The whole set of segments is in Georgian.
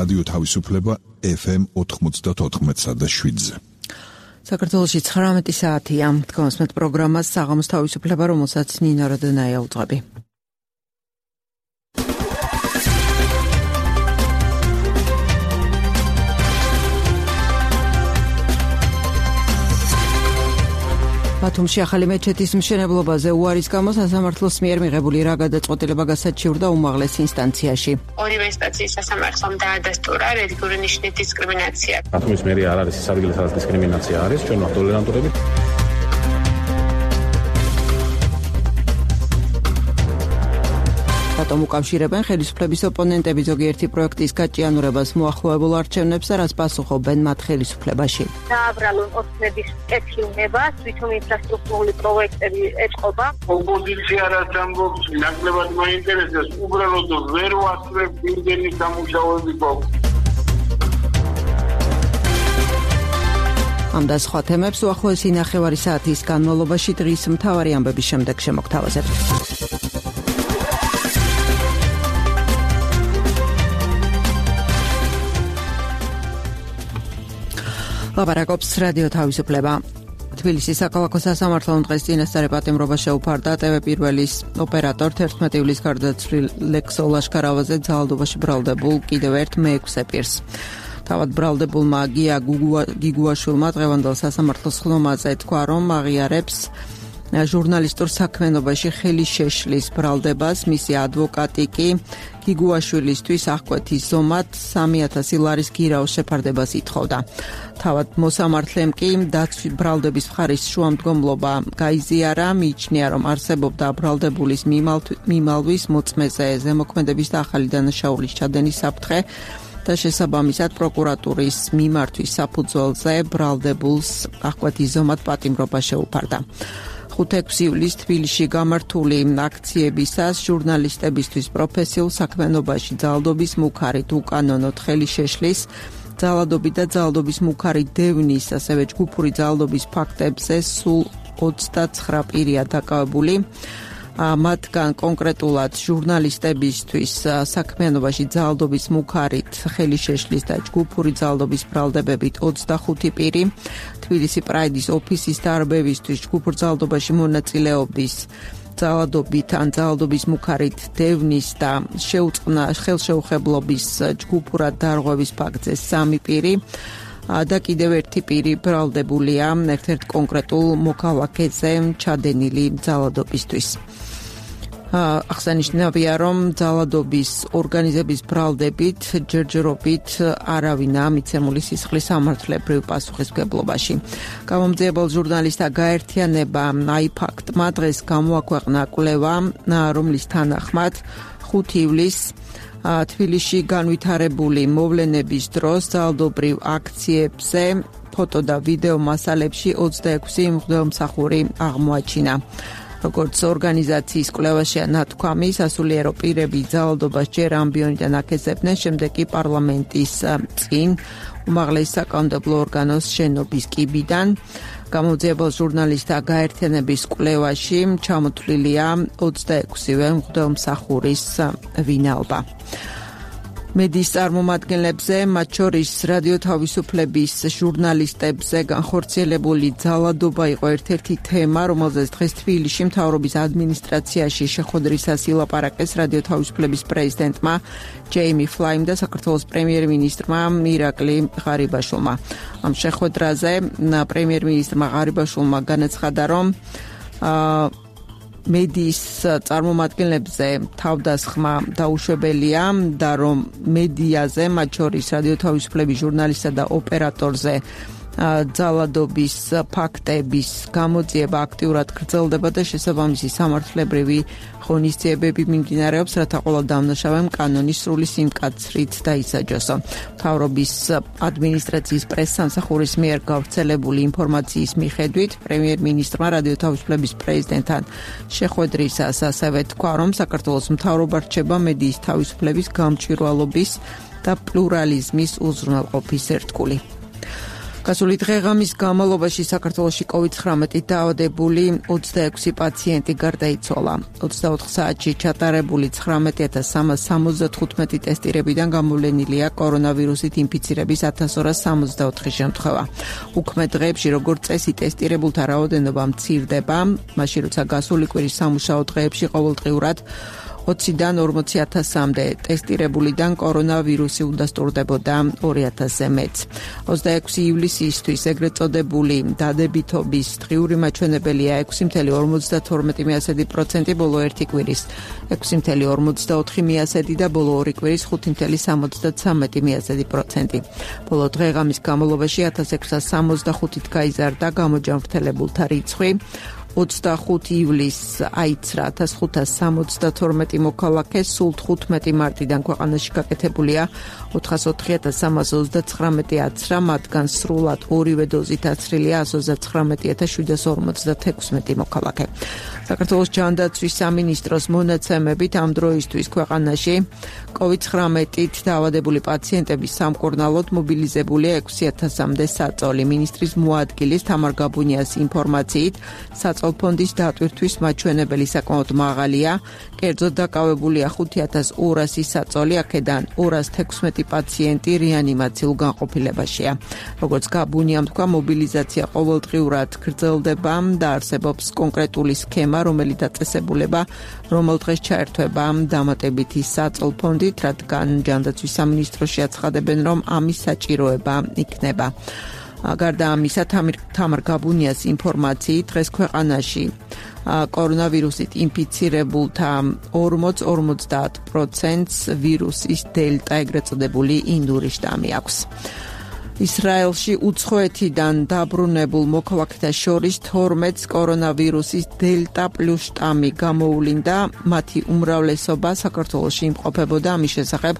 რადიო თავისუფლება FM 94.7-ზე. საქართველოში 19 საათია. თქვენს პროგრამას საღამოს თავისუფლება, რომელსაც ნინო როდონაია უძღვები. ბათუმში ახალი მეჩეთის მშენებლობაზე უარის გამო სასამართლოს მიერ მიღებული რა გადაწყვეტილება გასაჩივრდა უმაღლეს ინსტანციაში. ორივე ინსტანციის სასამართლომ დაადასტურა რელიგიური ნიშნის დისკრიმინაცია. ბათუმის მერია არ არის ის ადგილი, სადაც დისკრიმინაცია არის, ჩვენ ვართ ტოლერანტურები. რატომ უკავშირებენ ხელისუფლების ოპონენტები ზოგიერთი პროექტის გაჭიანურებას მოახლოებულ არჩევნებს და რას პასუხობენ მათ ხელისუფლებაში? დააბრალონ ოცნების კეთილნებას, თვითონ ინფრასტრუქტურული პროექტები ეწყობა. ოპოზიცია რაც ამბობს, ნაკლებად მაინტერესებს, უბრალოდ ვერ ვასწრებ იმდენი სამუშაოები გვაქვს. ამ და სხვა თემებს უახლოესი ნახევარი საათის განმავლობაში დღის მთავარი ამბების შემდეგ შემოგთავაზებთ. ლაპარაკობს რადიო თავისუფლება. თბილისის საქალაქო სასამართლომ დღეს წინასწარი პატიმრობა შეუფარდა ტევ1-ის ოპერატორ 11 ივლისს გარდაცვლილ ლექსო ლაშქარავაზე ძალადობაში ბრალდებულ კიდევ ერთ მეექვსე პირს. თავად ბრალდებულმა გია გიგუაშვილმა დღევანდელ სასამართლოს ხლომაზე თქვა, რომ აღიარებს ჟურნალისტურ საქმიანობაში ხელი შეშლის ბრალდებას. მისი ადვოკატი კი გიგუაშვილისთვის აღკვეთის ზომად 3000 ლარის გირაოს შეფარდებას ითხოვდა. თავად მოსამართლემ კი ბრალდების მხარის შუამდგომლობა გაიზიარა, მიიჩნია, რომ არსებობდა ბრალდებულის მიმალვის მოწმეზე ზემოქმედების და ახალი დანაშაულის ჩადენის საფრთხე და შესაბამისად პროკურატურის მიმართვის საფუძველზე ბრალდებულს აღკვეთის ზომად პატიმრობა შეუფარდა. 5-6 ივლისს თბილისში გამართული აქციებისას ჟურნალისტებისთვის პროფესიულ საქმიანობაში ძალადობის მუქარით უკანონოდ ხელი შეშლის, ძალადობით და ძალადობის მუქარით დევნის, ასევე ჯგუფური ძალადობის ფაქტებზე სულ 29 პირია დაკავებული. მათგან კონკრეტულად ჟურნალისტებისთვის საქმიანობაში ძალადობის მუქარით ხელი შეშლის და ჯგუფური ძალადობის ბრალდებებით 25 პირი, თბილისი პრაიდის ოფისის დარბევისთვის ჯგუფურ ძალადობაში მონაწილეობის ძალადობით ან ძალადობის მუქარით დევნის და ხელშეუხებლობის ჯგუფურად დარღვევის ფაქტზე 3 პირი და კიდევ ერთი პირი ბრალდებულია ერთ-ერთ კონკრეტულ მოქალაქეზე ჩადენილი ძალადობისთვის. აღსანიშნავია, რომ ძალადობის ორგანიზების ბრალდებით ჯერჯერობით არავინა მიცემული სისხლის სამართლებრივ პასუხისმგებლობაში. გამომძიებელ ჟურნალისტთა გაერთიანება აიფაქტმა დღეს გამოაქვეყნა კვლევა, რომლის თანახმად 5 ივლისს თბილისში განვითარებული მოვლენების დროს ძალადობრივ აქციებზე ფოტო და ვიდეო მასალებში 26 მღვდელმსახური აღმოაჩინა. როგორც ორგანიზაციის კვლევაშია ნათქვამი, სასულიერო პირები ძალადობას ჯერ ამბიონიდან აკეთებდნენ, შემდეგ კი პარლამენტის წინ უმაღლეს საკანონმდებლო ორგანოს შენობის კიბიდან. გამომძიებელ ჟურნალისტთა გაერთიანების კვლევაში ჩამოთვლილია 26-ვე მღვდელმსახურის ვინაობა. მედიის წარმომადგენლებზე, მათ შორის რადიო თავისუფლების ჟურნალისტებზე განხორციელებული ძალადობა იყო ერთ-ერთი თემა, რომელზეც დღეს თბილისში მთავრობის ადმინისტრაციაში შეხვედრისას ილაპარაკეს რადიო თავისუფლების პრეზიდენტმა ჯეიმი ფლაიმ და საქართველოს პრემიერ-მინისტრმა ირაკლი ღარიბაშვილმა. ამ შეხვედრაზე პრემიერ-მინისტრმა ღარიბაშვილმა განაცხადა, რომ მედიის წარმომადგენლებზე თავდასხმა დაუშვებელია და რომ მედიაზე, მათ შორის რადიო თავისუფლების ჟურნალისტსა და ოპერატორზე ძალადობის ფაქტების გამოძიება აქტიურად გრძელდება და შესაბამისი სამართლებრივი ღონისძიებები მიმდინარეობს, რათა ყველა დამნაშავემ კანონის სრული სიმკაცრით დაისაჯოსო. მთავრობის ადმინისტრაციის პრესსამსახურის მიერ გავრცელებული ინფორმაციის მიხედვით, პრემიერ-მინისტრმა რადიო თავისუფლების პრეზიდენტთან შეხვედრისას ასევე თქვა, რომ საქართველოს მთავრობა რჩება მედიის თავისუფლების, გამჭვირვალობის და პლურალიზმის უზრუნველყოფის ერთგული. გასული დღეღამის განმავლობაში საქართველოში COVID-19 დაავადებული 26 პაციენტი გარდაიცვალა. 24 საათში ჩატარებული 19375 ტესტირებიდან გამოვლენილია კორონავირუსით ინფიცირების 1264 შემთხვევა. უქმე დღეებში როგორც წესი ტესტირებულთა რაოდენობა მცირდება, მაშინ როცა გასული კვირის სამუშაო დღეებში ყოველდღიურად 20-დან 40000-მდე ტესტირებულიდან კორონავირუსი უნდასტურდებოდა 2000-ზე მეტს. 26 ივლისისთვის ეგრეთ წოდებული დადებითობის დღიური მაჩვენებელია 6.52%, ბოლო ერთი კვირის 6.54% და ბოლო ორი კვირის 5.73%. ბოლო დღეღამის განმავლობაში 1665-ით გაიზარდა გამოჯანმრთელებულთა რიცხვი. 25 ივლისს აიცრა 1572 მოქალაქე, სულ 15 მარტიდან ქვეყანაში გაკეთებულია 404339 აცრა, მათგან სრულად ორივე დოზით აცრილია 129756 მოქალაქე. საქართველოს ჯანდაცვის სამინისტროს მონაცემებით ამ დროისთვის ქვეყანაში COVID-19-ით დაავადებული პაციენტების სამკურნალოდ მობილიზებულია 6000-მდე საწოლი. მინისტრის მოადგილის თამარ გაბუნიას ინფორმაციით, ფონდის დატვირთვის მაჩვენებელი საკმაოდ მაღალია, კერძოდ დაკავებულია 5200 საწოლი, აქედან 216 პაციენტი რეანიმაციულ განყოფილებაშია. როგორც გაბუნიამ თქვა, მობილიზაცია ყოველდღიურად გრძელდება და არსებობს კონკრეტული სქემა, რომელიც დაწესებულება რომელ დღეს ჩაერთვება დამატებითი საწოლფონდით, რადგან ჯანდაცვის სამინისტროში აცხადებენ, რომ ამის საჭიროება იქნება. გარდა ამისა, თამარ გაბუნიას ინფორმაციით, დღეს ქვეყანაში კორონავირუსით ინფიცირებულთა 40-50%-ს ვირუსის დელტა, ეგრეთ წოდებული ინდური შტამი აქვს. ისრაელში უცხოეთიდან დაბრუნებულ მოქალაქეთა შორის 12-ს კორონავირუსის დელტა პლუს შტამი გამოუვლინდა, მათი უმრავლესობა საქართველოში იმყოფებოდა. ამის შესახებ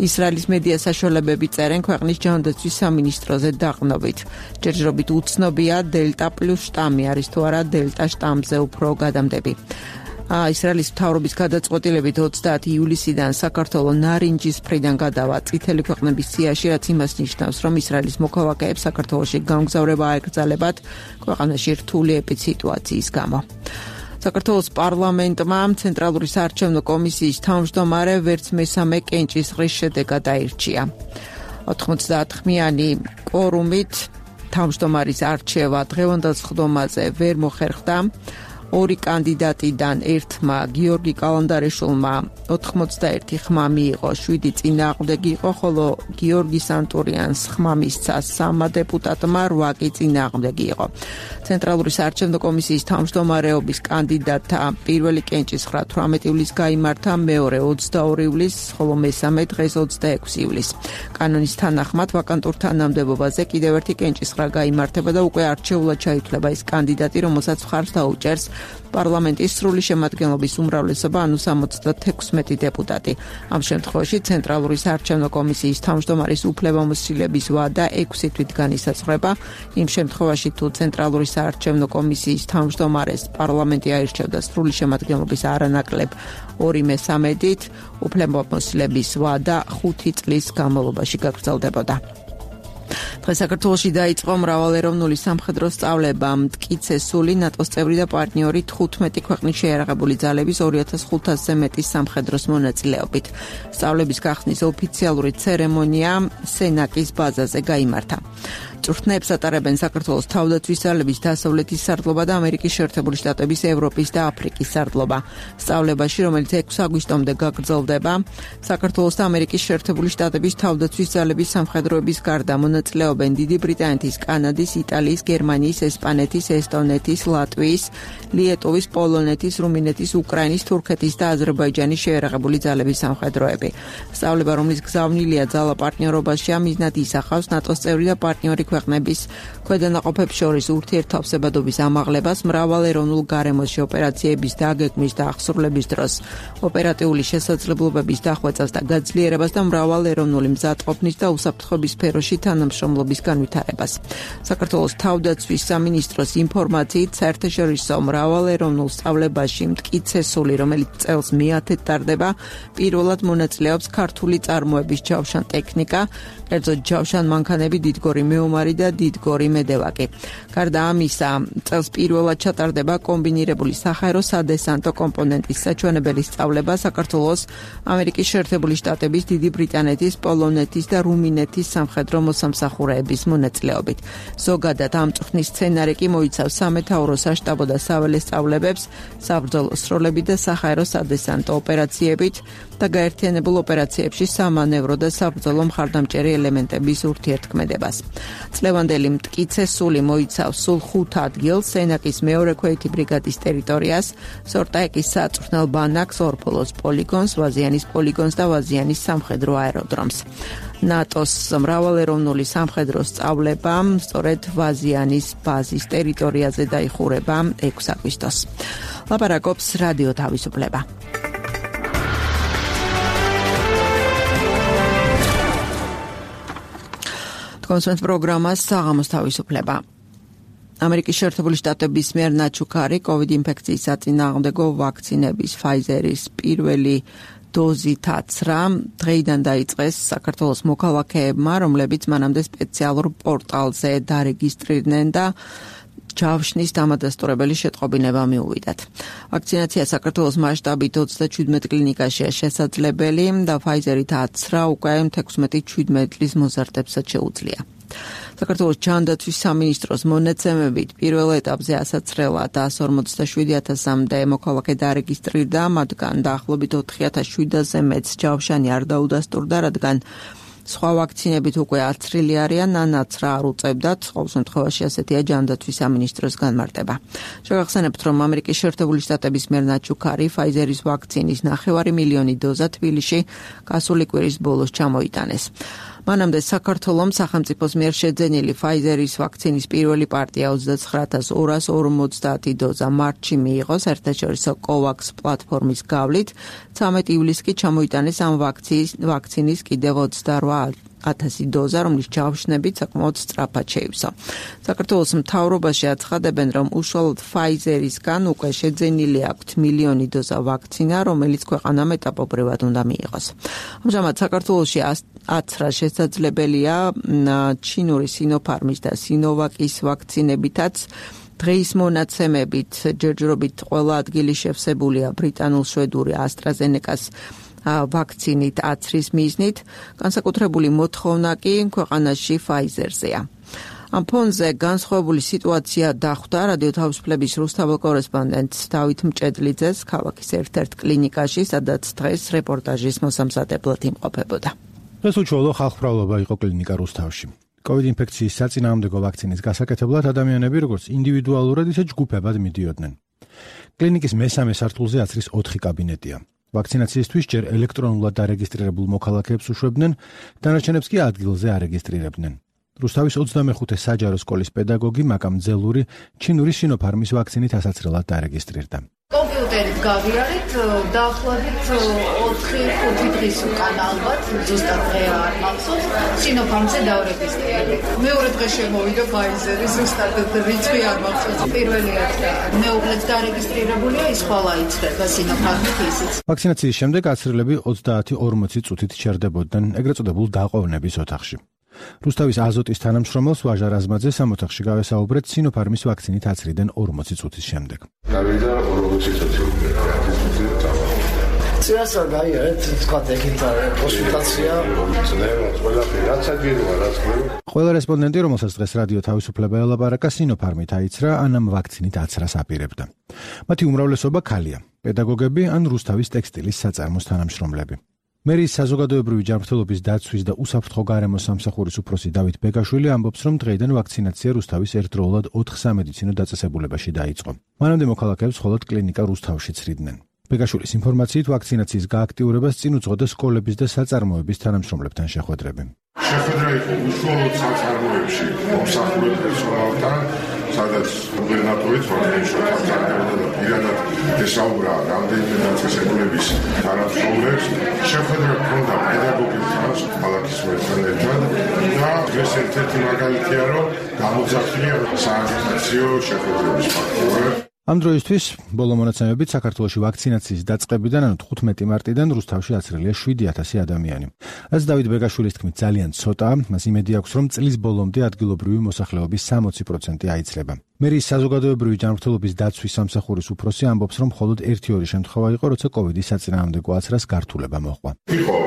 ისრაელის მედია საშუალებები წერენ ქვეყნის ჯანდაცვის სამინისტროზე დაყრდნობით. ჯერჯერობით უცნობია დელტა პლუს შტამი არის თუ არა დელტა შტამზე უფრო გადამდები. ისრაელის მთავრობის გადაწყვეტილებით 30 ივლისიდან საქართველოს ნარინჯის მხრიდან გადავა წითელი ქვეყნების სიაში, რაც იმას ნიშნავს, რომ ისრაელის მოქალაქეებს საქართველოში გამგზავრება აეკრძალებათ ქვეყანაში რთული ეპიდსიტუაციის გამო. საქართველოს პარლამენტმა ცენტრალური საარჩევნო კომისიის თავმჯდომარე ვერც მესამე კენჭისყრის შედეგად აირჩია. 90-ხმიანი კვორუმით თავმჯდომარის არჩევა დღევანდელ სხდომაზე ვერ მოხერხდა. ორი კანდიდატიდან ერთმა გიორგი კალანდარიშვილმა 91 ხმა მიიღო, 7 წინააღმდეგი იყო, ხოლო გიორგი სანტურიანს ხმა მისცა 3 დეპუტატმა, 8 კი წინააღმდეგი იყო. ცენტრალური საარჩევნო კომისიის თავმჯდომარეობის კანდიდატთა პირველი კენჭისყრა 18 ივლისს გაიმართა, მეორე 22 ივლისს, ხოლო მესამე დღეს 26 ივლისს. კანონის თანახმად ვაკანტურ თანამდებობაზე კიდევ ერთი კენჭისყრა გაიმართება და უკვე არჩეულად ჩაითვლება ის კანდიდატი, რომელსაც მხარს დაუჭერს პარლამენტის სრული შემადგენლობის უმრავლესობა, ანუ 76 დეპუტატი. ამ შემთხვევაში ცენტრალური საარჩევნო კომისიის თავმჯდომარის უფლებამოსილების ვადა 6 თვით განისაზღვრება. იმ შემთხვევაში, თუ ცენტრალური საარჩევნო კომისიის თავმჯდომარეს პარლამენტი აირჩევდა სრული შემადგენლობის არანაკლებ 2/3-ით, უფლებამოსილების ვადა 5 წლის განმავლობაში გაგრძელდებოდა. დღეს საქართველოში დაიწყო მრავალეროვნული სამხედრო სწავლება. მტკიცესული ნატოს წევრი და პარტნიორი 15 ქვეყნის შეიარაღებული ძალების 2500-ზე მეტი სამხედროს მონაწილეობით. სწავლების გახსნის ოფიციალური ცერემონია სენაკის ბაზაზე გაიმართა. წვრთნებს ატარებენ საქართველოს თავდაცვის ძალების დასავლეთის სარდლობა და ამერიკის შეერთებული შტატების, ევროპის და აფრიკის სარდლობა. სწავლებაში, რომელიც 6 აგვისტომდე გაგრძელდება, საქართველოს და ამერიკის შეერთებული შტატების თავდაცვის ძალების სამხედროების გარდა მონაწილეობენ დიდი ბრიტანეთის, კანადის, იტალიის, გერმანიის, ესპანეთის, ესტონეთის, ლატვიის, ლიეტუვის, პოლონეთის, რუმინეთის, უკრაინის, თურქეთის და აზერბაიჯანის შეიარაღებული ძალების სამხედროები. სწავლება, რომლის გზავნილია ძალა პარტნიორობაშია, მიზნად ისახავს ნატოს წევრი და პარტნიორი ქვეყნების ქვედანაყოფებს შორის ურთიერთთავსებადობის ამაღლებას, მრავალეროვნულ გარემოში ოპერაციების დაგეგმვის და აღსრულების დროს ოპერატიული შესაძლებლობების დახვეწას და გაძლიერებას და მრავალეროვნული მზადყოფნის და უსაფრთხოების სფეროში თანამშრომლობის განვითარებას. საქართველოს თავდაცვის სამინისტროს ინფორმაციით, საერთაშორისო მრავალეროვნულ სწავლებაში მტკიცესული, რომელიც წელს მეათედ ტარდება, პირველად მონაწილეობს ქართული წარმოების ჯავშან ტექნიკა, კერძოდ ჯავშან მანქანები, დიდგორი მეომარი მთავარი და დიდგორი მედევაკი. გარდა ამისა, წელს პირველად ჩატარდება კომბინირებული საჰაერო სადესანტო კომპონენტის საჩვენებელი სწავლება საქართველოს, ამერიკის შეერთებული შტატების, დიდი ბრიტანეთის, პოლონეთის და რუმინეთის სამხედრო მოსამსახურეების მონაწილეობით. ზოგადად ამ წვრთნის სცენარი კი მოიცავს სამეთაურო საშტაბო და საველე სწავლებებს, საბრძოლო სროლები და საჰაერო სადესანტო ოპერაციებით და გაერთიანებულ ოპერაციებში სამანევრო და საბრძოლო მხარდამჭერი ელემენტების ურთიერთქმედებას. წლევანდელი მტკიცე სული მოიცავს სულ 5 ადგილს, სენაკის მეორე ქვეითი ბრიგადის ტერიტორიას, სორტაეკის საწვრთნელ ბანაკს, ორფოლოს პოლიგონს, ვაზიანის პოლიგონს და ვაზიანის სამხედრო აეროდრომს. ნატოს მრავალეროვნული სამხედრო სწავლება სწორედ ვაზიანის ბაზის ტერიტორიაზე დაიხურება 6 აგვისტოს. ლაპარაკობს რადიო თავისუფლება. კონსულტ პროგრამას საღამოს თავისუფლება. ამერიკის შეერთებული შტატების მიერ ნაჩუქარი COVID ინფექციის საწინააღმდეგო ვაქცინების Pfizer-ის პირველი დოზით აცრა დღეიდან დაიწყეს საქართველოს მოქალაქეებმა, რომლებიც მანამდე სპეციალურ პორტალზე დარეგისტრირდნენ და ჯავშნის დამადასტურებელი შეტყობინება მიუვიდათ. ვაქცინაცია საქართველოს მასშტაბით 37 კლინიკაშია შესაძლებელი და Pfizer-ით აცრა უკვე 16-17 წლის მოზარდებსაც შეუძლია. საქართველოს ჯანდაცვის სამინისტროს მონაცემებით პირველ ეტაპზე ასაცრელად 147,000-მდე მოქალაქე დარეგისტრირდა, მათგან დაახლოებით 4,700-ზე მეც ჯავშანი არ დაუდასტურდა, რადგან სხვა ვაქცინებით უკვე აცრილი არიან, ანაცრა არ უწევდათ, ყოველ შემთხვევაში ასეთია ჯანდაცვის სამინისტროს განმარტება. შევახსენებთ, რომ ამერიკის შეერთებული შტატების მიერ ნაჩუქარი Pfizer-ის ვაქცინის 9 მილიონი დოზა თბილისში გასული კვირის ბოლოს ჩამოიტანეს. მანამდე საქართველოს სახელმწიფოს მიერ შეძენილი Pfizer-ის ვაქცინის პირველი პარტია 29,250 დოზა მარტში მიიღო საერთაშორისო COVAX პლატფორმის გავლით, 13 ივლისს კი ჩამოიტანეს ამ ვაქცინის კიდევ 28,000 დოზა, რომლის ჯავშნებით საკმაოდ სწრაფად შეივსო. საქართველოს მთავრობაში აცხადებენ, რომ უშუალოდ Pfizer-ისგან უკვე შეძენილი აქვთ მილიონი დოზა ვაქცინა, რომელიც ქვეყანამ ეტაპობრივად უნდა მიიღოს. ამჟამად საქართველოში აცრა შესაძლებელია ჩინური Sinopharm-ის და Sinovac-ის ვაქცინებითაც. დღეის მონაცემებით ჯერჯერობით ყველა ადგილი შევსებულია ბრიტანულ-შვედური AstraZeneca-ს ვაქცინით აცრის მიზნით, განსაკუთრებული მოთხოვნა კი ქვეყანაში Pfizer-ზეა. ამ ფონზე განსხვავებული სიტუაცია დახვდა რადიო თავისუფლების რუსთაველ კორესპონდენტ დავით მჭედლიძეს ქალაქის ერთ-ერთ კლინიკაში, სადაც დღეს რეპორტაჟის მოსამზადებლად იმყოფებოდა. დღეს უშუალო ხალხმრავლობა იყო კლინიკა რუსთავში. COVID ინფექციის საწინააღმდეგო ვაქცინის გასაკეთებლად ადამიანები როგორც ინდივიდუალურად, ისე ჯგუფებად მიდიოდნენ. კლინიკის მესამე სართულზე აცრის 4 კაბინეტია. ვაქცინაციისთვის ჯერ ელექტრონულად დარეგისტრირებულ მოქალაქეებს უშვებდნენ, დანარჩენებს კი ადგილზე არეგისტრირებდნენ. რუსთავის 25 საჯარო სკოლის პედაგოგი მაკამ ძელური ჩინური Sinopharm-ის ვაქცინით ასაცრელად დარეგისტრირდა. კომპიუტერით გავიარეთ, დაახლოებით 4-5 დღის უკან ალბათ, ზუსტად დღე არ მახსოვს, Sinopharm-ზე დავრეგისტრირდი. მეორე დღე შემოვიდა Pfizer-ი, ზუსტად რიცხვი არ მახსოვს. პირველი მეუღლეც დარეგისტრირებულია, ის ხვალა იცდება Sinopharm-ით ისიც. ვაქცინაციის შემდეგ აცრილები 30-40 წუთით ჩერდებოდნენ ეგრეთ წოდებულ დაყოვნების ოთახში. რუსთავის აზოტის თანამშრომელს ვაჟა რაზმაძეს ამ ოთახში გავესაუბრეთ Sinopharm-ის ვაქცინით აცრიდან 40 წუთის შემდეგ. გავიდა 40 წუთი. წიასა გაიარეთ, თქვა ეგინდა კონსულტაცია, ყველა რესპონდენტი, რომელსაც დღეს რადიო თავისუფლება ელაპარაკა, Sinopharm-ით აიცრა, ან ამ ვაქცინით აცრას აპირებდა. მათი უმრავლესობა ქალია, პედაგოგები ან რუსთავის ტექსტილის საწარმოს თანამშრომლები. მერის საზოგადოებრივი ჯანმრთელობის დაცვის და უსაფრთხო გარემოს სამსახურის უფროსი დავით ბეგაშვილი ამბობს, რომ დღეიდან ვაქცინაცია რუსთავის ერთდროულად 4 სამედიცინო დაწესებულებაში დაიწყო. მანამდე მოქალაქეებს მხოლოდ კლინიკა რუსთავში ცრიდნენ. ბეგაშვილის ინფორმაციით ვაქცინაციის გააქტიურებას წინ უძღოდა სკოლების და საწარმოების თანამშრომლებთან შეხვედრები. შეხვედრა იყო უშუალოდ საწარმოებში მომსახურე პერსონალთან, სადაც გუბერნატორიც ვაქცინიშნად აღწერდა და პირადად ესაუბრა რამდენიმე დაწესებულების თანამშრომლებს. შეხვედრა ჰქონდა პედაგოგებთან, ქალაქის მერთან ერთად და დღეს ერთ-ერთი მაგალითია, რომ გამოძახილია სააგიტაციო შეხვედრების ფაქტორი. ამ დროისთვის ბოლო მონაცემებით საქართველოში ვაქცინაციის დაწყებიდან, ანუ 15 მარტიდან რუსთავში აცრელია 7000 ადამიანი. რაც დავით ბეგაშვილის თქმით ძალიან ცოტაა, მას იმედი აქვს, რომ წლის ბოლომდე ადგილობრივი მოსახლეობის 60% აიცლება. მერიის საზოგადოებრივი ჯანმრთელობის დაცვის სამსახურის უფროსი ამბობს, რომ მხოლოდ 1-2 შემთხვევა იყო, როცა კოვიდის საწინააღმდეგო აცრას გართულება მოჰყვა. იყო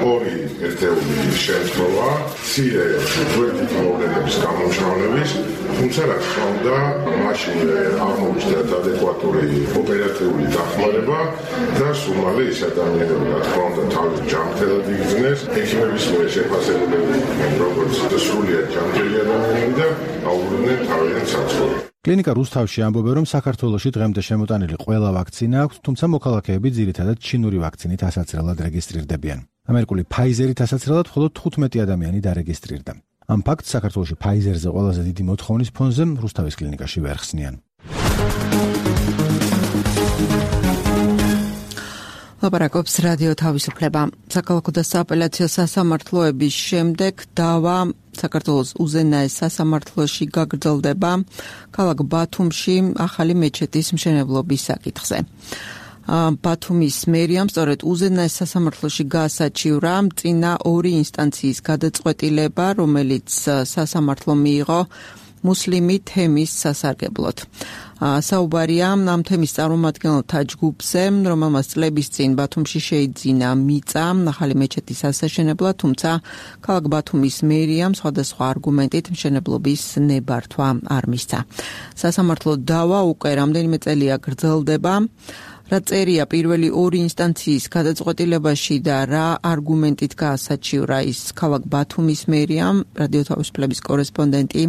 2 ერთეული შემთხვევა, მცირე გვერდით მოვლენების გამომჟღავნების, თუმცა რა თქმა უნდა, მაშინ აღმოჩნდა ადეკვატური ოპერატიული დახმარება და სულ მალე ის ადამიანები, რა თქმა უნდა, თავის ჯანმრთელად იგრძნეს, ექიმების მიერ შეფასებულები, როგორც სრულიად ჯანმრთელი ადამიანები და აუბრუნდნენ თავიანთ საცხოვრებლად. კლინიკა რუსთავში ამბობენ, რომ საქართველოში დღემდე შემოტანილი ყველა ვაქცინა აქვს, თუმცა მოქალაქეები ძირითადად ჩინური ვაქცინით ასაცრელად რეგისტრირდებიან. ამერიკული Pfizer-ით ასაცრელად მხოლოდ 15 ადამიანი დარეგისტრირდა. ამ ფაქტს საქართველოში Pfizer-ზე ყველაზე დიდი მოთხოვნის ფონზე რუსთავის კლინიკაში ვერ ხსნიან. ლაპარაკობს რადიო თავისუფლება. საქალაქო და სააპელაციო სასამართლოების შემდეგ დავა საქართველოს უზენაეს სასამართლოში გაგრძელდება ქალაქ ბათუმში ახალი მეჩეთის მშენებლობის საკითხზე. ბათუმის მერიამ სწორედ უზენაეს სასამართლოში გაასაჩივრა წინა 2 ინსტანციის გადაწყვეტილება, რომელიც სასამართლომ მიიღო მუსლიმი თემის სასარგებლოდ. საუბარია ამ თემის წარმომადგენელთა ჯგუფზე, რომელმაც წლების წინ ბათუმში შეიძინა მიწა ახალი მეჩეთის ასაშენებლად, თუმცა ქალაქ ბათუმის მერიამ სხვადასხვა არგუმენტით მშენებლობის ნებართვა არ მისცა. სასამართლო დავა უკვე რამდენიმე წელია გრძელდება. რა წერია პირველი 2 ინსტანციის გადაწყვეტილებაში და რა არგუმენტით გაასაჩივრა ის ქალაქ ბათუმის მერიამ, რადიო თავისუფლების კორესპონდენტი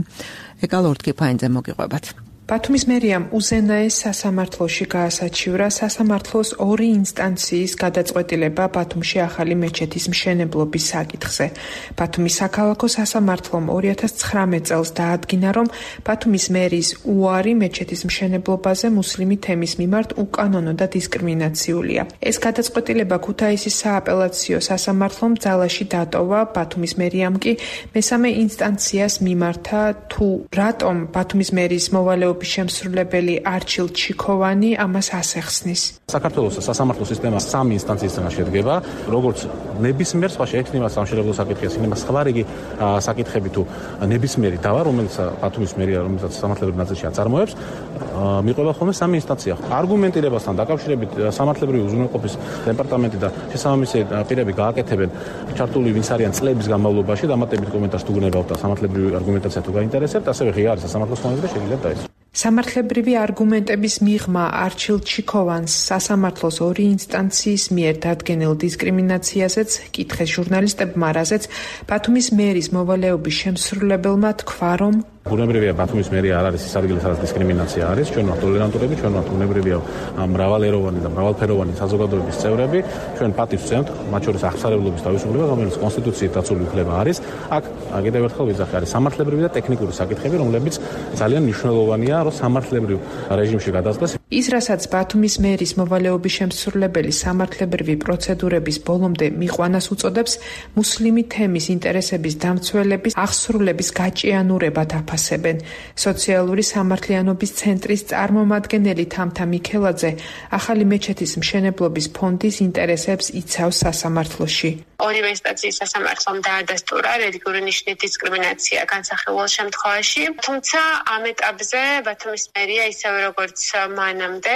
ეკალორთკიფაინძე მოგიყვებათ. ბათუმის მერიამ უზენაეს სასამართლოში გაასაჩივრა სასამართლოს 2 ინსტანციის გადაწყვეტილება ბათუმში ახალი მეჩეთის მშენებლობის საკითხზე. ბათუმის საქალაქო სასამართლომ 2019 წელს დაადგინა, რომ ბათუმის მერის უარი მეჩეთის მშენებლობაზე მუსლიმი თემის მიმართ უკანონო და დისკრიმინაციულია. ეს გადაწყვეტილება ქუთაისის სააპელაციო სასამართლომ ძალაში დატოვა, ბათუმის მერიამ კი მესამე ინსტანციას მიმართა, თუ რატომ ბათუმის მერის მოვალეობის შემსრულებელი არჩილ ჩიქოვანი ამას ასეხსნის. საქართველოს სასამართლო სისტემა 3 ინსტანციისგან შედგება, როგორც ნებისმიერ სხვა შეექმნება სამშენებლო საკითხია, იქნება სხვა რიგი საკითხები თუ ნებისმიერი დავა, რომელიც ბათუმის მერია, რომელსაც სამართლებრივ ნაწილში აწარმოებს, მიყვება ხოლმე 3 ინსტანცია. არგუმენტირებასთან დაკავშირებით სამართლებრივი უზრუნველყოფის დეპარტამენტი და შესაბამისი პირები გააკეთებენ ჩართული ვინც არიან წლების განმავლობაში დამატებით კომენტარს თუ გნებავთ და სამართლებრივი არგუმენტაცია თუ გაინტერესებთ, ასევე ღია არის სასამართლოს ხმაზე შეგიძლიათ დაესწროთ. სამართლებრივი არგუმენტების მიღმა არჩილ ჩიქოვანს სასამართლოს 2 ინსტანციის მიერ დადგენილ დისკრიმინაციაზეც კითხეს ჟურნალისტებმა, რაზეც ბათუმის მერის მოვალეობის შემსრულებელმა თქვა, რომ ბუნებრივია ბათუმის მერია არ არის ის ადგილი, სადაც დისკრიმინაცია არის, ჩვენ ვართ ტოლერანტულები, ჩვენ ვართ ბუნებრივია მრავალეროვანი და მრავალფეროვანი საზოგადოების წევრები, ჩვენ პატივს ვცემთ, მათ შორის აღსარებლობის თავისუფლება, რომელიც კონსტიტუციით დაცული უფლება არის. აქ კიდევ ერთხელ ვიძახი, არის სამართლებრივი და ტექნიკური საკითხები, რომლებიც ძალიან მნიშვნელოვანია, რომ სამართლებრივ რეჟიმში გადასდეს. ის, რასაც ბათუმის მერის მოვალეობის შემსრულებელი სამართლებრივი პროცედურების ბოლომდე მიყვანას უწოდებს, მუსლიმი თემის ინტერესების დამცველების აღსრულების გაჭიანურებად აფასებენ. სოციალური სამართლიანობის ცენტრის წარმომადგენელი თამთა მიქელაძე ახალი მეჩეთის მშენებლობის ფონდის ინტერესებს იცავს სასამართლოში. ორივე ინსტანციის სასამართლომ დაადასტურა რელიგიური ნიშნის დისკრიმინაცია განსახილულ შემთხვევაში, თუმცა ამ ეტაპზე ბათუმის მერია ისევე როგორც მანამდე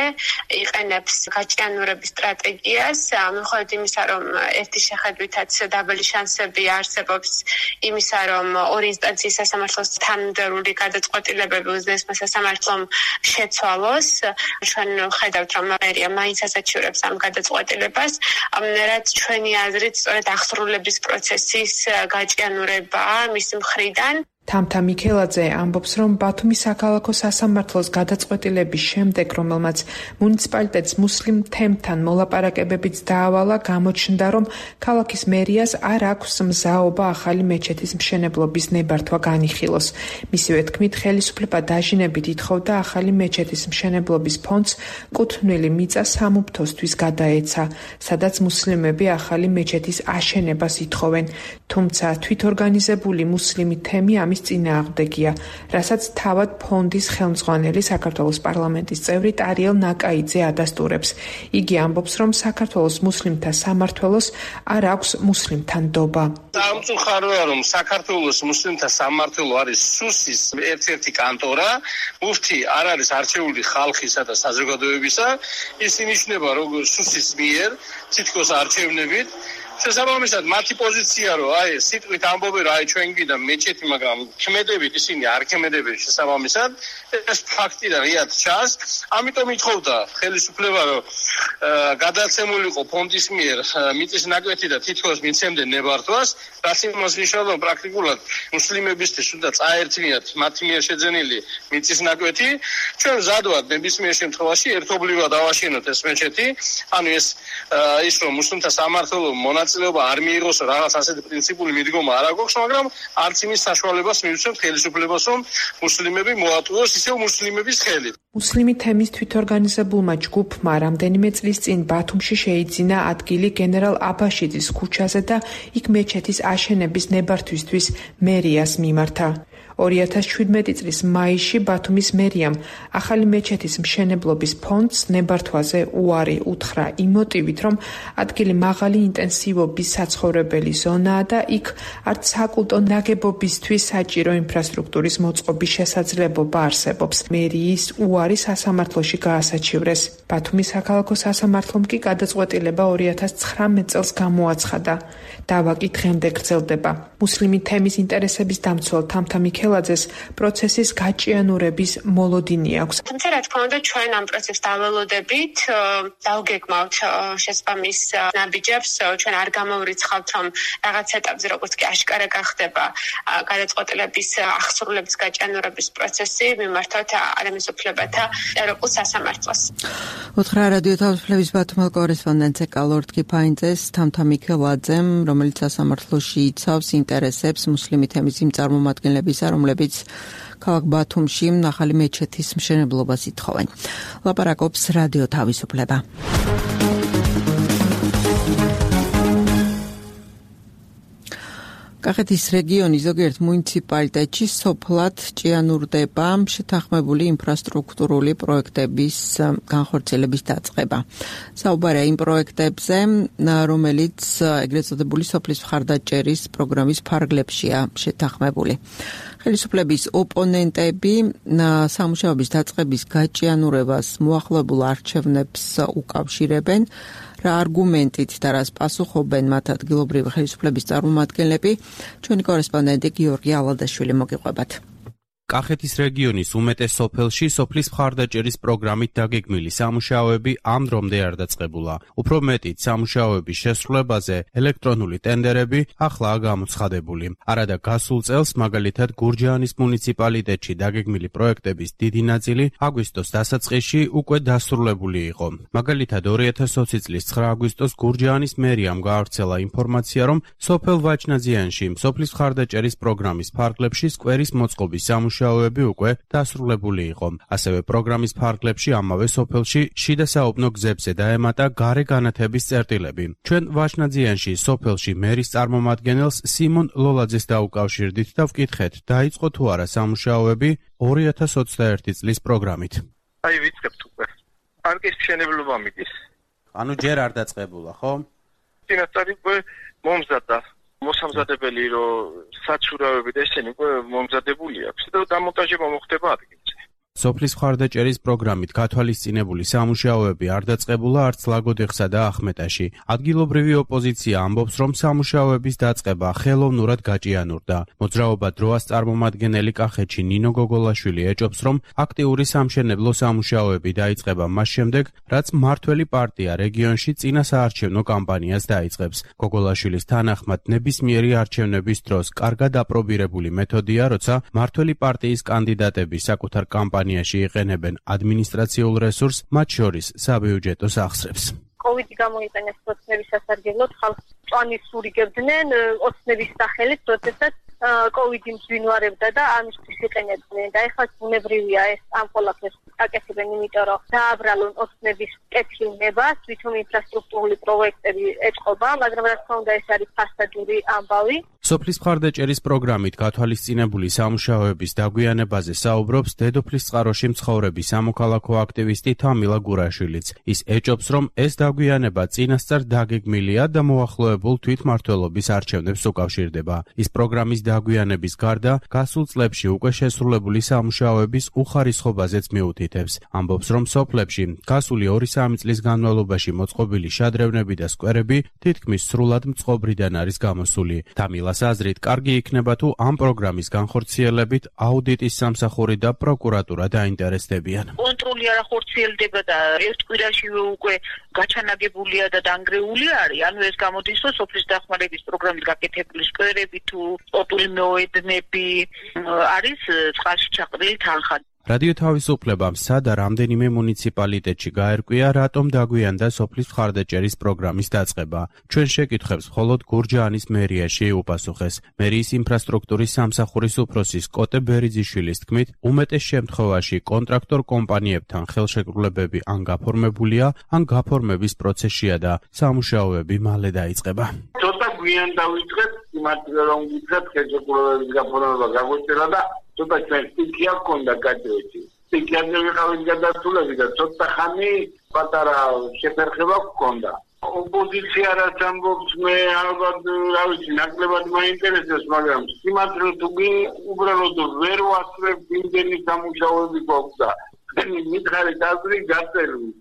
იყენებს გაჭიანურების სტრატეგიას, მიუხედავად იმისა, რომ ერთი შეხედვითაც დაბალი შანსები არსებობს იმისა, რომ 2 ინსტანციის სასამართლოს თანმიმდევრული გადაწყვეტილებები უზენაესმა სასამართლომ შეცვალოს. ჩვენ ხედავთ, რომ მერია მაინც ასაჩივრებს ამ გადაწყვეტილებას, რაც ჩვენი აზრით სწორედ აღსრულების პროცესის გაჭიანურებაა მის მხრიდან. თამთა მიქელაძე ამბობს, რომ ბათუმის საქალაქო სასამართლოს გადაწყვეტილების შემდეგ, რომელმაც მუნიციპალიტეტს მუსლიმ თემთან მოლაპარაკებებიც დაავალა, გამოჩნდა, რომ ქალაქის მერიას არ აქვს მზაობა ახალი მეჩეთის მშენებლობის ნებართვა განიხილოს. მისივე თქმით, ხელისუფლება დაჟინებით ითხოვდა ახალი მეჩეთის მშენებლობის ფონდს კუთვნილი მიწა სამუფრთოსთვის გადაეცა, სადაც მუსლიმები ახალი მეჩეთის აშენებას ითხოვენ. თუმცა თვითორგანიზებული მუსლიმი თემი ამის მიღების წინააღმდეგია, რასაც თავად ფონდის ხელმძღვანელი საქართველოს პარლამენტის წევრი ტარიელ ნაკაიძე ადასტურებს. იგი ამბობს, რომ საქართველოს მუსლიმთა სამმართველოს არ აქვს მუსლიმთან ნდობა. Სამწუხაროა, რომ საქართველოს მუსლიმთა სამმართველო არის სუსის ერთ-ერთი კანტორა, მუფთი არ არის არჩეული ხალხისა და საზოგადოებისა, ის ინიშნება როგორც სუსის მიერ, თითქოს არჩევნებით. შესაბამისად, მათი პოზიცია რომ სიტყვით ამბობენ რომ ჩვენ გვიდა მეჩეთი, მაგრამ ქმედებით ისინი არ ქმედებენ შესაბამისად, ეს ფაქტი და ღიად ჩანს. ამიტომ ითხოვდა ხელისუფლება რომ გადაცემულიყო ფონდის მიერ მიწის ნაკვეთი და თითქოს მიცემდნენ ნებართვას, რაც იმას ნიშნავდა რომ პრაქტიკულად მუსლიმებისთვის უნდა წაერთმიათ მათი მიერ შეძენილი მიწის ნაკვეთი. ჩვენ ზადვართ ნებისმიერ შემთხვევაში ერთობლივად ავაშენოთ ეს მეჩეთი, ანუ ის რომ მუსლიმთა სამმართველო მონაწილეობა არ მიიღოს, რაღაც ასეთი პრინციპული მიდგომა არ აქვს, მაგრამ არც იმის საშუალებას მივცემთ ხელისუფლებას, რომ მუსლიმები მოატყუოს ისევ მუსლიმების ხელით. მუსლიმი თემის თვითორგანიზებულმა ჯგუფმა რამდენიმე წლის წინ ბათუმში შეიძინა ადგილი გენერალ აბაშიძის ქუჩაზე და იქ მეჩეთის აშენების ნებართვისთვის მერიას მიმართა. 2017 წლის მაისში ბათუმის მერიამ ახალი მეჩეთის მშენებლობის ფონდს ნებართვაზე უარი უთხრა იმ მოტივით, რომ ადგილი მაღალი ინტენსივობის საცხოვრებელი ზონაა და იქ არც საკულტო ნაგებობისთვის საჭირო ინფრასტრუქტურის მოწყობის შესაძლებლობა არსებობს. მერიის უარი სასამართლოში გაასაჩივრეს. ბათუმის საქალაქო სასამართლომ კი გადაწყვეტილება 2019 წელს გამოაცხადა. დავა კი დღემდე გრძელდება. მუსლიმი თემის ინტერესების დამცველ თამთა მიქელაძეს პროცესის გაჭიანურების მოლოდინი აქვს. თუმცა რა თქმა უნდა ჩვენ ამ პროცესს დაველოდებით, დავგეგმავთ შესაბამის ნაბიჯებს, ჩვენ არ გამოვრიცხავთ, რომ რაღაც ეტაპზე როგორც კი აშკარა გახდება გადაწყვეტილების აღსრულების გაჭიანურების პროცესი, მიმართავთ ადამიანის უფლებათა ევროპულ სასამართლოს. უთხრა რადიო თავისუფლების ბათუმელ კორესპონდენტზე კალორდ კიფაინძეს თამთა მიქელაძემ, რომელიც სასამართლოში იცავს ინტერესებს მუსლიმი თემის იმ წარმომადგენლებისა, რომლებიც ქალაქ ბათუმში ახალი მეჩეთის მშენებლობას ითხოვენ. ლაპარაკობს რადიო თავისუფლება. კახეთის რეგიონის ზოგიერთ მუნიციპალიტეტში სოფლად ჭიანურდება შეთანხმებული ინფრასტრუქტურული პროექტების განხორციელების დაწყება. საუბარია იმ პროექტებზე, რომელიც ეგრეთ წოდებული სოფლის მხარდაჭერის პროგრამის ფარგლებშია შეთანხმებული. ხელისუფლების ოპონენტები სამუშაოების დაწყების გაჭიანურებას მოახლოებულ არჩევნებს უკავშირებენ. რა არგუმენტით და რას პასუხობენ მათ ადგილობრივი ხელისუფლების წარმომადგენლები, ჩვენი კორესპონდენტი გიორგი ალადაშვილი მოგიყვებათ. კახეთის რეგიონის უმეტეს სოფელში სოფლის მხარდაჭერის პროგრამით დაგეგმილი სამუშაოები ამ დრომდე არ დაწყებულა. უფრო მეტიც, სამუშაოების შესრულებაზე ელექტრონული ტენდერებიახლაა გამოცხადებული. არადა გასულ წელს, მაგალითად, გურჯაანის მუნიციპალიტეტში დაგეგმილი პროექტების დიდი ნაწილი აგვისტოს დასაწყისში უკვე დასრულებული იყო. მაგალითად, 2020 წლის 9 აგვისტოს გურჯაანის მერიამ გაავრცელა ინფორმაცია, რომ სოფელ ვაჭნაძიანში სოფლის მხარდაჭერის პროგრამის ფარგლებში სკვერის მოწყობის სამუშაოები უკვე დასრულებული იყო. ასევე პროგრამის ფარგლებში ამავე სოფელში შიდა საუბნო გზებზე დაემატა გარე განათების წერტილები. ჩვენ ვაჭნაძიანში სოფელში მერის წარმომადგენელს სიმონ ლოლაძეს დაუკავშირდით და ვკითხეთ, დაიწყო თუ არა სამუშაოები 2021 წლის პროგრამით. ვიწყებთ უკვე. პარკის მშენებლობა მიდის. ანუ ჯერ არ დაწყებულა, ხო? წინასწარი უკვე მომზადდა. მოსამზადებელი რომ საცურაოები და ესენი უკვე მომზადებული აქვს და დამონტაჟება მოხდება ადგილზე. სოფლის მხარდაჭერის პროგრამით გათვალისწინებული სამუშაოები არ დაწყებულა არც ლაგოდეხსა და ახმეტაში. ადგილობრივი ოპოზიცია ამბობს, რომ სამუშაოების დაწყება ხელოვნურად გაჭიანურდა. მოძრაობა დროას წარმომადგენელი კახეთში ნინო გოგოლაშვილი ეჭობს, რომ აქტიური სამშენებლო სამუშაოები დაიწყება მას შემდეგ, რაც მმართველი პარტია რეგიონში წინა საარჩევნო კამპანიას დაიწყებს. გოგოლაშვილის თანახმად, ნებისმიერი არჩევნების დროს კარგად აპრობირებული მეთოდია, როცა მმართველი პარტიის კანდიდატები საკუთარ კამპანიაში იყენებენ ადმინისტრაციულ რესურსს, მათ შორის საბიუჯეტო სახსრებს. კოვიდი გამოიყენეს პროცესების სასარგებლოდ, ხალხს მწვანის სურიგებდნენ ოცნების სახელით, როდესაც COVID-ი მსვინვარებდა და ამისთვის იყენებდნენ და ეხლა ბუნებრივია ეს ამ ყველაფერს აკეთებენ, იმიტომ რომ დააბრალონ ოცნების კეთილნება, თვითონ ინფრასტრუქტურული პროექტები ეწყობა, მაგრამ რა თქმა უნდა ეს არის ფასადური ამბავი. სოფლის მხარდაჭერის პროგრამით გათვალისწინებული სამუშაოების დაგვიანებაზე საუბრობს დედოფლის წყაროში მცხოვრები სამოქალაქო აქტივისტი თამილა გურაშვილიც. ის ეჭობს, რომ ეს დაგვიანება წინასწარ დაგეგმილია და მოახლოებულ თვითმმართველობის არჩევნებს უკავშირდება. ის პროგრამის დაგვიანების გარდა გასულ წლებში უკვე შესრულებული სამუშაოების უხარისხობაზეც მიუთითებს. ამბობს, რომ სოფლებში გასული 2-3 წლის განმავლობაში მოწყობილი შადრევნები და სკვერები თითქმის სრულად მწყობრიდან არის გამოსული. თამილას აზრით, კარგი იქნება თუ ამ პროგრამის განხორციელებით აუდიტის სამსახური და პროკურატურა დაინტერესდებიან. კონტროლი არ ახორციელდება და ერთ კვირაშივე უკვე გაჩანაგებულია და დანგრეული არის. ანუ ეს გამოდის, რომ სოფლის დახმარების პროგრამით გაკეთებული სკვერები თუ სპორტული მეოედნები არის წყალში ჩაყრილი თანხა. რადიო თავისუფლებამ სადა რამდენიმე მუნიციპალიტეტში გაერკვია, რატომ დაგვიანდა სოფლის მხარდაჭერის პროგრამის დაწყება. ჩვენ შეკითხვებს მხოლოდ გურჯაანის მერიაში უპასუხეს. მერიის ინფრასტრუქტურის სამსახურის უფროსის კოტე ბერიძიშვილის თქმით, უმეტეს შემთხვევაში კონტრაქტორ კომპანიებთან ხელშეკრულებები ან გაფორმებულია, ან გაფორმების პროცესშია და სამუშაოები მალე დაიწყება. ცოტა გვიან დავიწყეთ, იმათგან რომ ვიწყეთ ხელშეკრულებების გაფორმება გაგვეცელა და ცოტა ჩვენ სტიქია გქონდა გაჭრეთი. სტიქიაზე ვიყავით გადასულები და ცოტა ხანი პატარა შეფერხება გქონდა. ოპოზიცია რაც ამბობს, მე ალბათ რა ვიცი, ნაკლებად მაინტერესებს, მაგრამ სიმართლე თუ უბრალოდ ვერ ვასწრებ იმდენი სამუშაოები გვაქვს და მითხარით აზრი გაწერილი.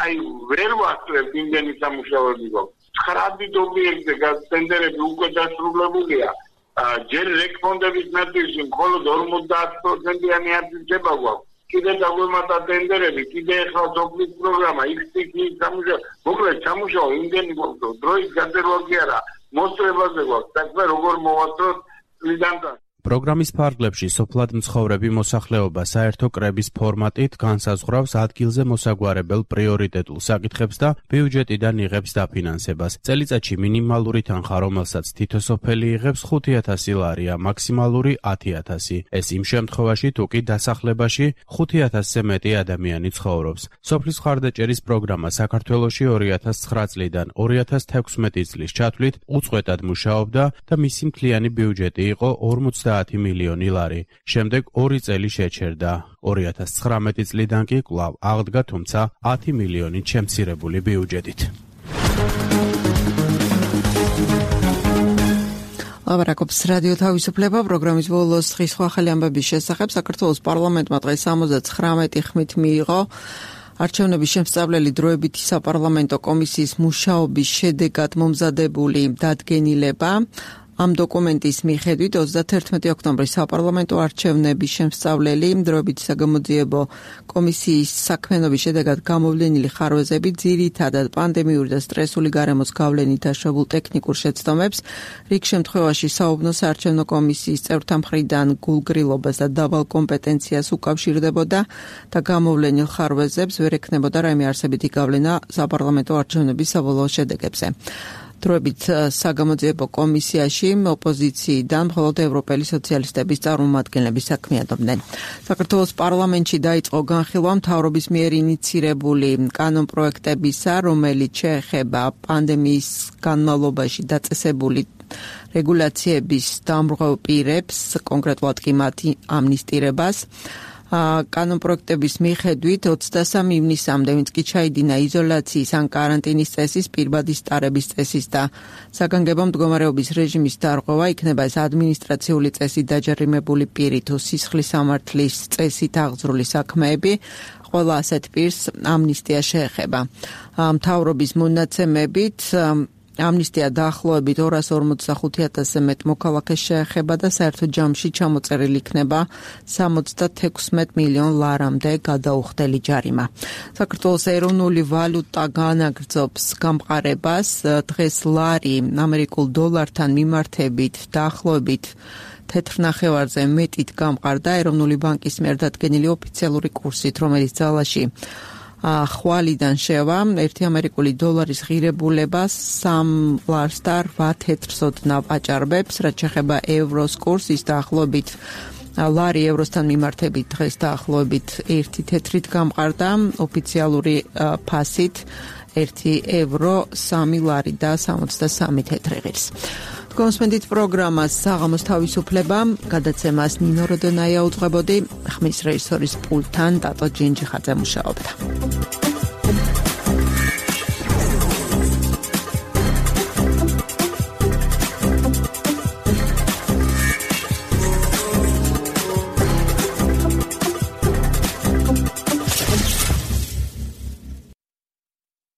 აი ვერ ვასწრებ იმდენი სამუშაოები გვაქვს. 9 ობიექტზე გასტენდერები უკვე დასრულებულია. ჯერ რეკფონდების ნაწილში მხოლოდ 50%-იანი აფიქსება გვაქვს. კიდე დაგვემატა ტენდერები, კიდე ახლა სოფლის პროგრამა, XTK სამუშაო. მოკლედ სამუშაო იმდენი გვაქვს, დროის გაწერვა კი არა, მოსწრებაზე გვაქვს. საქმე როგორ მოვასწროთ წლიდანთან. პროგრამის ფარგლებში სოფლად მცხოვრები მოსახლეობა საერთო კრების ფორმატით განსაზღვრავს ადგილზე მოსაგვარებელ პრიორიტეტულ საკითხებს და ბიუჯეტიდან იღებს დაფინანსებას. წელიწადში მინიმალური თანხა, რომელსაც თითო სოფელი იღებს 5,000 ლარია, მაქსიმალური 10,000. ეს იმ შემთხვევაში, თუ კი დასახლებაში 5,000-ზე მეტი ადამიანი ცხოვრობს. სოფლის მხარდაჭერის პროგრამა საქართველოში 2009 წლიდან 2016 წლის ჩათვლით უწყვეტად მუშაობდა და მისი მთლიანი ბიუჯეტი იყო 50 მილიონი ლარი. შემდეგ 2 წელი შეჩერდა. 2019 წლიდან კი კვლავ აღდგა, თუმცა 10 მილიონით შემცირებული ბიუჯეტით. ლაბარაკობს რადიო თავისუფლება პროგრამის ბოლოს დღის ახალი ამბების შესახებ. საქართველოს პარლამენტმა დღეს 79 ხმით მიიღო არჩევნების შემსწავლელი დროებითი საპარლამენტო კომისიის მუშაობის შედეგად მომზადებული დადგენილება. ამ დოკუმენტის მიხედვით 31 ოქტომბრის საპარლამენტო არჩევნების შემსწავლელი დროებითი საგამოძიებო კომისიის საქმიანობის შედეგად გამოვლენილი ხარვეზები ძირითადად პანდემიური და სტრესული გარემოს გავლენით დაშვებულ ტექნიკურ შეცდომებს, რიგ შემთხვევაში საუბნო საარჩევნო კომისიის წევრთა მხრიდან გულგრილობას და დაბალ კომპეტენციას უკავშირდებოდა და გამოვლენილ ხარვეზებს ვერ ექნებოდა რაიმე არსებითი გავლენა საპარლამენტო არჩევნების საბოლოო შედეგებზე. დროებით საგამოძიებო კომისიაში ოპოზიციიდან მხოლოდ ევროპელი სოციალისტების წარმომადგენლები საქმიანობდნენ. საქართველოს პარლამენტში დაიწყო განხილვა მთავრობის მიერ ინიცირებული კანონპროექტებისა, რომელიც შეეხება პანდემიის განმავლობაში დაწესებული რეგულაციების დამრღვევ პირებს, კონკრეტულად კი მათი ამნისტირებას. კანონპროექტების მიხედვით 23 ივნისამდე, ვინც კი ჩაიდინა იზოლაციის ან კარანტინის წესის, პირბადის ტარების წესის და საგანგებო მდგომარეობის რეჟიმის დარღვევა, იქნება ეს ადმინისტრაციული წესით დაჯერიმებული პირი თუ სისხლის სამართლის წესით აღძრული საქმეები, ყველა ასეთ პირს ამნისტია შეეხება. მთავრობის მონაცემებით ამნისტია დაახლოებით 245,000-ზე მეტ მოქალაქეს შეეხება და საერთო ჯამში ჩამოწერილი იქნება 76 მილიონ ლარამდე გადაუხდელი ჯარიმა. საქართველოს ეროვნული ვალუტა განაგრძობს გამყარებას. დღეს ლარი ამერიკულ დოლართან მიმართებით დაახლოებით 4.5-ზე მეტით გამყარდა ეროვნული ბანკის მიერ დადგენილი ოფიციალური კურსით, რომელიც ძალაში ხვალიდან შევა 1 ამერიკული დოლარის ღირებულება 3 ლარს და 8 თეთრს ოდნავ აჭარბებს, რაც შეეხება ევროს კურსს, ის დაახლოებით ლარი ევროსთან მიმართებით დღეს დაახლოებით 1 თეთრით გამყარდა, ოფიციალური ფასით 1 ევრო 3 ლარი და 63 თეთრი ღირს. კონსმენდით პროგრამას საღამოს თავისუფლება, გადაცემას ნინო როდონაია უძღვებოდი, ხმის რეჟისორის პულტთან ტატო ჯინჯიხაძე მუშაობდა.